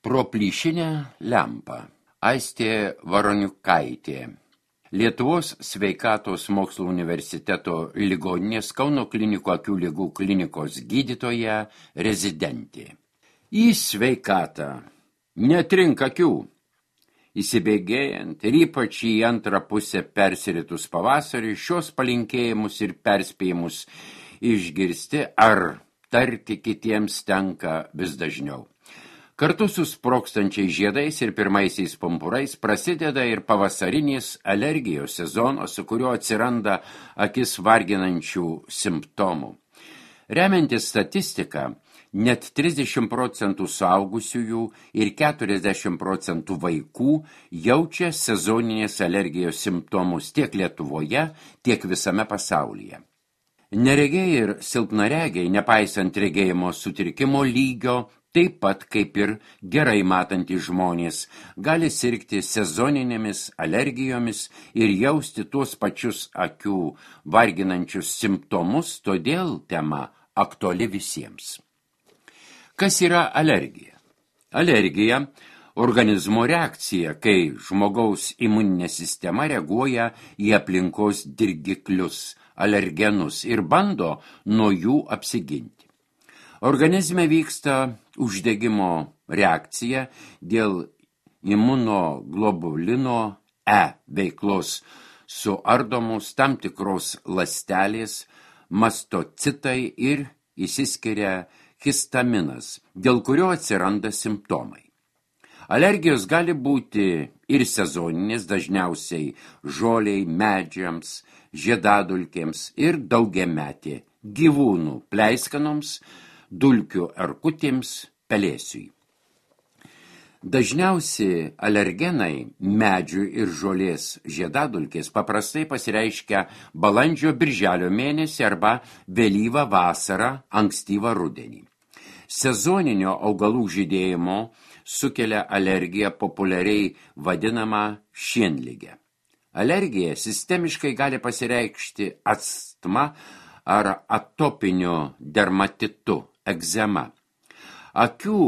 Pro plyšinę lempą. Aistė Varoniukaitė. Lietuvos sveikatos mokslo universiteto ligoninės Kauno klinikų akių ligų klinikos gydytoja rezidentė. Į sveikatą. Netrink akių. Įsibėgėjant ir ypač į antrą pusę persiritus pavasarį, šios palinkėjimus ir perspėjimus išgirsti ar tarti kitiems tenka vis dažniau. Kartu su sprogstančiais žiedais ir pirmaisiais pumpurais prasideda ir pavasarinis alergijos sezonas, su kuriuo atsiranda akis varginančių simptomų. Remiantis statistiką, net 30% suaugusiųjų ir 40% vaikų jaučia sezoninės alergijos simptomus tiek Lietuvoje, tiek visame pasaulyje. Neregiai ir silpnaregiai, nepaisant regėjimo sutrikimo lygio, taip pat kaip ir gerai matantys žmonės, gali sirgti sezoninėmis alergijomis ir jausti tuos pačius akių varginančius simptomus, todėl tema aktuali visiems. Kas yra alergija? Alergija – organizmo reakcija, kai žmogaus imuninė sistema reaguoja į aplinkos dirgiklius, alergenus ir bando nuo jų apsiginti. Organizme vyksta uždegimo reakcija dėl imunoglobulino E veiklos suardomos tam tikros ląstelės, mastocitai ir išsiskiria histaminas, dėl kurio atsiranda simptomai. Alergijos gali būti ir sezoninės, dažniausiai žoliai, medžiams, žiedadulkėms ir daugiametė gyvūnų pleiskanoms, dulkių erkutėms, pelėsiui. Dažniausiai alergenai medžių ir žolės žiedadulkės paprastai pasireiškia balandžio-birželio mėnesį arba vėlyvą vasarą, ankstyvą rudenį. Sezoninio augalų žydėjimo sukelia alergiją populiariai vadinamą šienligę. Alergija sistemiškai gali pasireikšti astma ar atopiniu dermatitu, egzema. Akių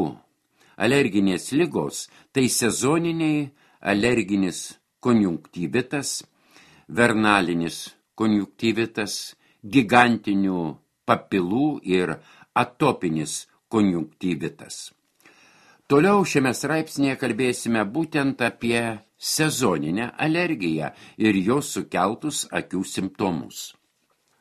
alerginės ligos tai sezoniniai alerginis konjunktyvitas, vernalinis konjunktyvitas, gigantinių papilų ir atopinis konjunktyvitas. Toliau šiame straipsnėje kalbėsime būtent apie sezoninę alergiją ir jos sukeltus akių simptomus.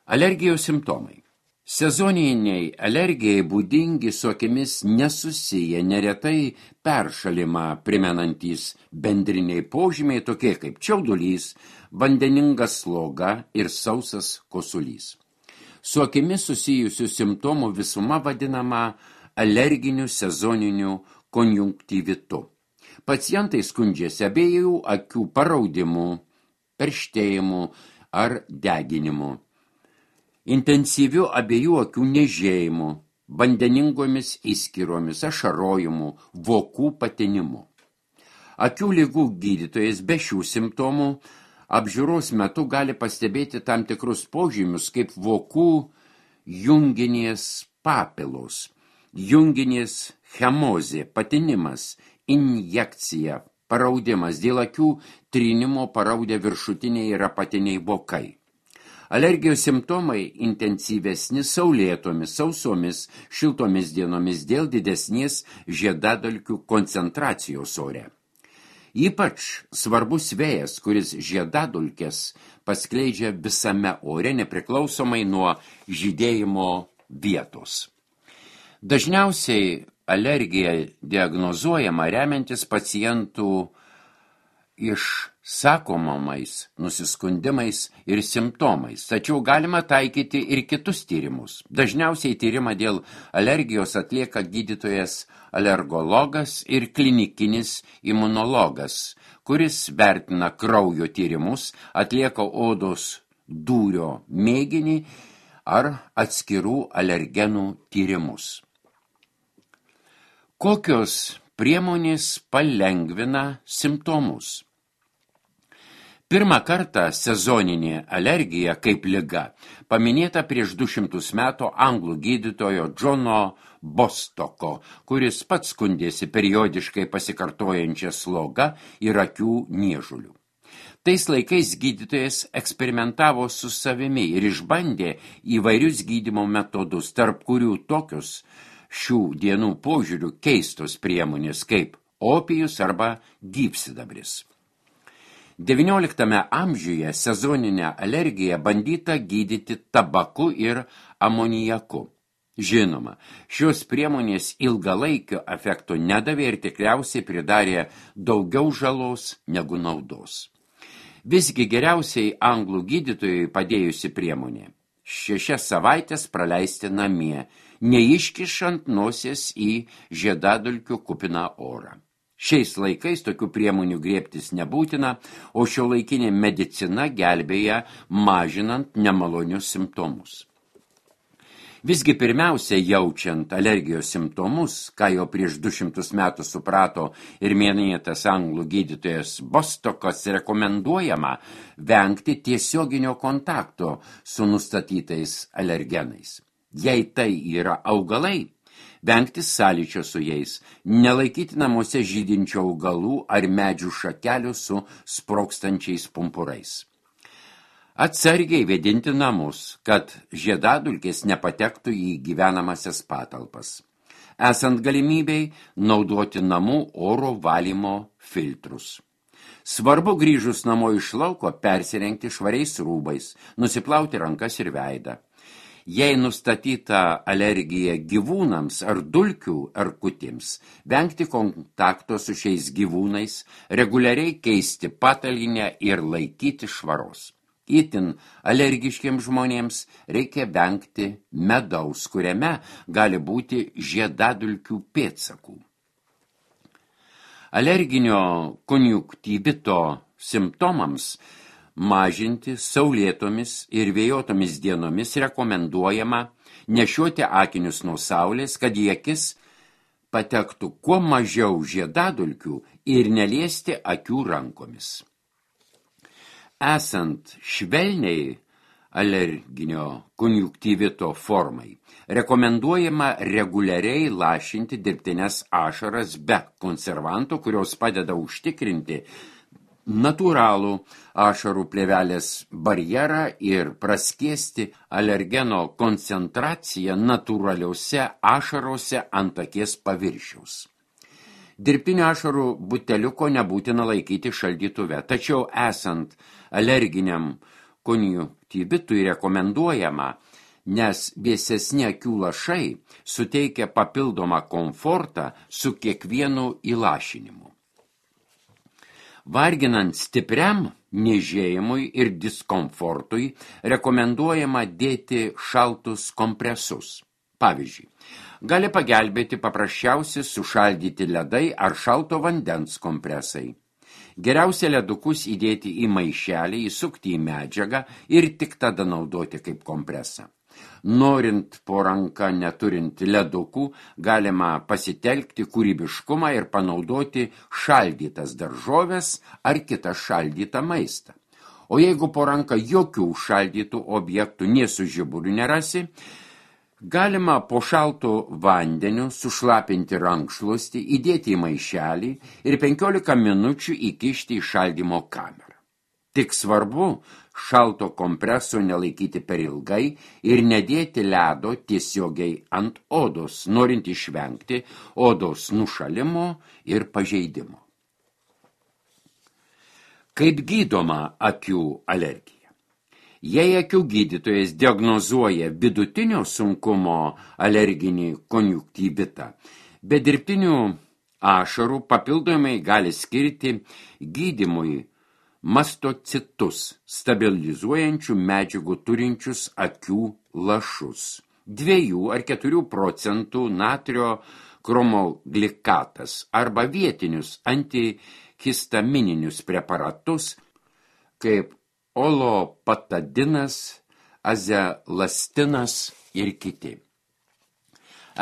Alergijos simptomai. Sezoniniai alergijai būdingi su akimis nesusiję, neretai peršalimą primenantys bendriniai požymiai, tokie kaip čiaudulys, vandeninga sloga ir sausas kosulys. Su akimis susijusių simptomų visuma vadinama alerginiu sezoniniu konjunktyvitu. Pacientai skundžiasi abiejų akių paraudimu, perštėjimu ar deginimu, intensyviu abiejų akių niežėjimu, vandeningomis įskyromis, ašarojimu, vokų patinimu. Akių ligų gydytojas be šių simptomų apžiūros metu gali pastebėti tam tikrus požymius kaip vokų junginės papilos, junginės chemozė, patinimas, injekcija, paraudimas, dėl akių trynimo paraudę viršutiniai ir apatiniai vokai. Alergijos simptomai intensyvesni saulėtomis, sausomis, šiltomis dienomis dėl didesnės žiedadulkių koncentracijos ore. Ypač svarbus vėjas, kuris žiedadulkes paskleidžia visame ore nepriklausomai nuo žydėjimo vietos. Dažniausiai alergija diagnozuojama remiantis pacientų išsakomais nusiskundimais ir simptomais, tačiau galima taikyti ir kitus tyrimus. Dažniausiai tyrimą dėl alergijos atlieka gydytojas alergologas ir klinikinis imunologas, kuris vertina kraujo tyrimus, atlieka odos dūrio mėginį ar atskirų alergenų tyrimus. Kokios priemonės palengvina simptomus? Pirmą kartą sezoninė alergija kaip liga paminėta prieš 200 metų anglų gydytojo Džono Bostoko, kuris pats skundėsi periodiškai pasikartojančią slogą ir akių niežulių. Tais laikais gydytojas eksperimentavo su savimi ir išbandė įvairius gydymo metodus, tarp kurių tokius šių dienų požiūrių keistos priemonės kaip opijus arba gyvsidabris. XIX amžiuje sezoninę alergiją bandyta gydyti tabaku ir amoniaku. Žinoma, šios priemonės ilgalaikio efekto nedavė ir tikriausiai pridarė daugiau žalos negu naudos. Visgi geriausiai anglų gydytojai padėjusi priemonė – 6 savaites praleisti namie, neiškišant nosies į žiedadulkių kupiną orą. Šiais laikais tokių priemonių griebtis nebūtina, o šiuolaikinė medicina gelbėja mažinant nemalonius simptomus. Visgi pirmiausia, jaučiant alergijos simptomus, ką jau prieš 200 metų suprato ir minėtas anglų gydytojas Bostokas, rekomenduojama vengti tiesioginio kontakto su nustatytais alergenais. Jei tai yra augalai, vengti sąlyčio su jais, nelaikyti namuose žydinčių augalų ar medžių šakelių su sprogstančiais pumpurais. Atsargiai vėdinti namus, kad žiedadulkės nepatektų į gyvenamasias patalpas. Esant galimybei naudoti namų oro valymo filtrus. Svarbu grįžus namo iš lauko persirengti švariais rūbais, nusiplauti rankas ir veidą. Jei nustatyta alergija gyvūnams ar dulkių erkutėms, vengti kontakto su šiais gyvūnais, reguliariai keisti patalynę ir laikyti švaros. Itin alergiškiems žmonėms reikia vengti medaus, kuriame gali būti žiedadulkių pėdsakų. Alerginio konjunktyvito simptomams mažinti saulėtomis ir vėjotomis dienomis rekomenduojama nešioti akinius nuo saulės, kad į akis patektų kuo mažiau žiedadulkių ir neliesti akių rankomis. Esant švelniai alerginio konjunktyvito formai, rekomenduojama reguliariai lašinti dirbtines ašaras be konservantų, kurios padeda užtikrinti natūralų ašarų plėvelės barjerą ir praskiesti alergeno koncentraciją natūraliuose ašarose ant akies paviršiaus. Dirbtinio ašarų buteliuko nebūtina laikyti šaldytuve, tačiau esant alerginiam konjunktyvitui rekomenduojama, nes vėsesni akių lašai suteikia papildomą komfortą su kiekvienu įlašinimu. Varginant stipriam niežėjimui ir diskomfortui rekomenduojama dėti šaltus kompresus. Pavyzdžiui, gali pagelbėti paprasčiausi sušaldyti ledai ar šalto vandens kompresai. Geriausia ledukus įdėti į maišelį, įsukti į medžiagą ir tik tada naudoti kaip kompresą. Norint po ranka neturint ledukų, galima pasitelkti kūrybiškumą ir panaudoti šaldytas daržoves ar kitą šaldytą maistą. O jeigu po ranka jokių šaldytų objektų nė su žiburiu nerasi, galima po šaltu vandeniu sušlapinti rankšluostį, įdėti į maišelį ir 15 minučių įkišti į šaldymo kamerą. Tik svarbu šalto kompreso nelaikyti per ilgai ir nedėti ledo tiesiogiai ant odos, norint išvengti odos nušalimo ir pažeidimo. Kaip gydoma akių alergija? Jei akių gydytojas diagnozuoja vidutinio sunkumo alerginį konjunktyvitą, be dirbtinių ašarų papildomai gali skirti gydymui mastocitus, stabilizuojančių medžiagų turinčius akių lašus, 2 ar 4 procentų natrio kromoglikatas arba vietinius antihistamininius preparatus kaip olopatadinas, azelastinas ir kiti.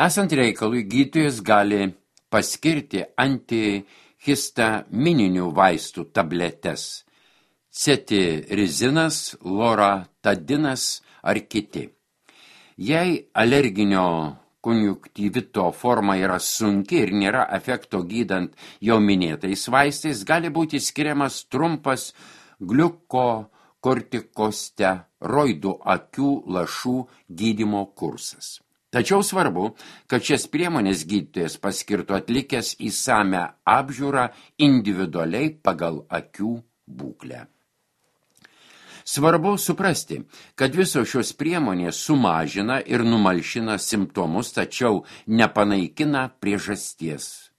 Esant reikalui, gydytojas gali paskirti antihistamininių vaistų tabletes, cetirizinas, loratadinas ar kiti. Jei alerginio konjunktyvito forma yra sunki ir nėra efekto gydant jau minėtais vaistais, gali būti skiriamas trumpas gliukokortikosteroidų akių lašų gydymo kursas. Tačiau svarbu, kad šias priemonės gydytojas paskirtų atlikęs įsamią apžiūrą individualiai pagal akių būklę. Svarbu suprasti, kad visos šios priemonės sumažina ir numalšina simptomus, tačiau nepanaikina priežasties.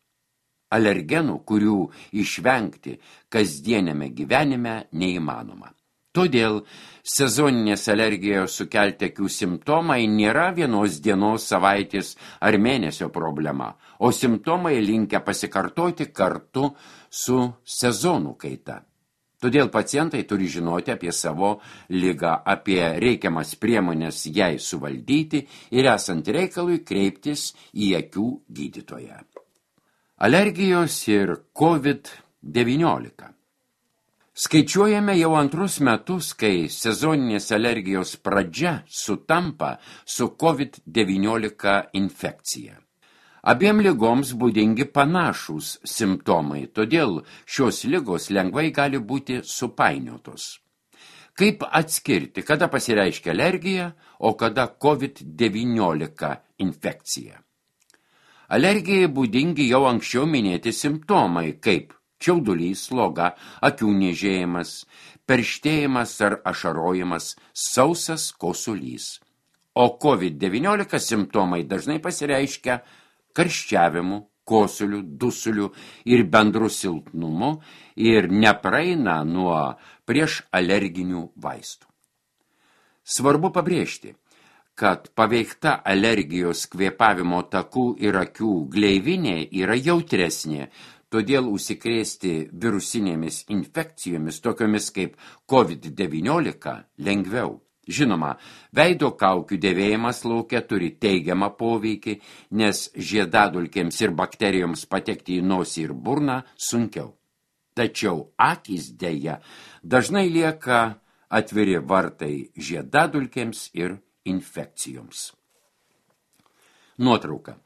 Alergenų, kurių išvengti kasdieniame gyvenime neįmanoma. Todėl sezoninės alergijos sukelti akių simptomai nėra vienos dienos, savaitės ar mėnesio problema, o simptomai linkę pasikartoti kartu su sezonų kaita. Todėl pacientai turi žinoti apie savo ligą, apie reikiamas priemonės jai suvaldyti ir esant reikalui kreiptis į akių gydytoją. Alergijos ir COVID-19. Skaičiuojame jau antrus metus, kai sezoninės alergijos pradžia sutampa su COVID-19 infekcija. Abiem ligoms būdingi panašūs simptomai, todėl šios ligos lengvai gali būti supainiotos. Kaip atskirti, kada pasireiškia alergija, o kada COVID-19 infekcija? Alergijai būdingi jau anksčiau minėti simptomai, kaip čiaudulys, sloga, akių niežėjimas, perštėjimas ar ašarojimas, sausas kosulys. O COVID-19 simptomai dažnai pasireiškia karščiavimu, kosuliu, dusuliu ir bendru silpnumu ir nepraeina nuo prieš alerginių vaistų. Svarbu pabrėžti, kad paveikta alergijos kvėpavimo takų ir akių gleivinė yra jautresnė, todėl užsikrėsti virusinėmis infekcijomis, tokiomis kaip COVID-19, lengviau. Žinoma, veido kaukių dėvėjimas lauke turi teigiamą poveikį, nes žiedadulkėms ir bakterijoms patekti į nosį ir burną sunkiau. Tačiau akys deja dažnai lieka atviri vartai žiedadulkėms ir infekcijoms. Nuotrauka.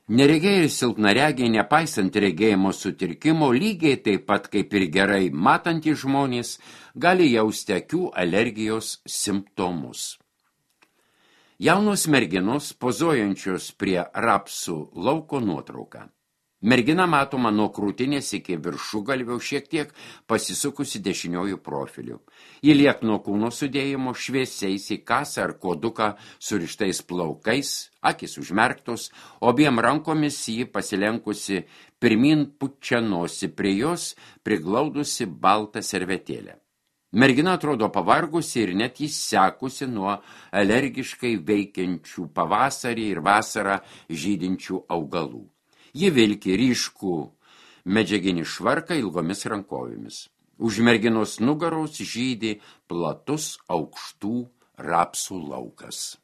Neregėjai ir silpnaregiai, nepaisant regėjimo sutrikimo, lygiai taip pat kaip ir gerai matantys žmonės, gali jausti akių alergijos simptomus. Jaunos merginos pozuojančios prie rapsų lauko nuotrauka. Mergina matoma nuo krūtinės iki viršugalvio šiek tiek pasisukusi dešiniojų profiliu. Ji liekno kūno sudėjimo šviesiais į kasą ar koduką surištais plaukais, akis užmerktos, abiem rankomis ji pasilenkusi pirmin pučia nosį, prie jos priglaudusi baltą servetėlę. Mergina atrodo pavargusi ir net įsekusi nuo alergiškai veikiančių pavasarį ir vasarą žydinčių augalų. Ji vilki ryškų medžiaginį švarką ilgomis rankovėmis. Už merginos nugaros žydi platus aukštų rapsų laukas.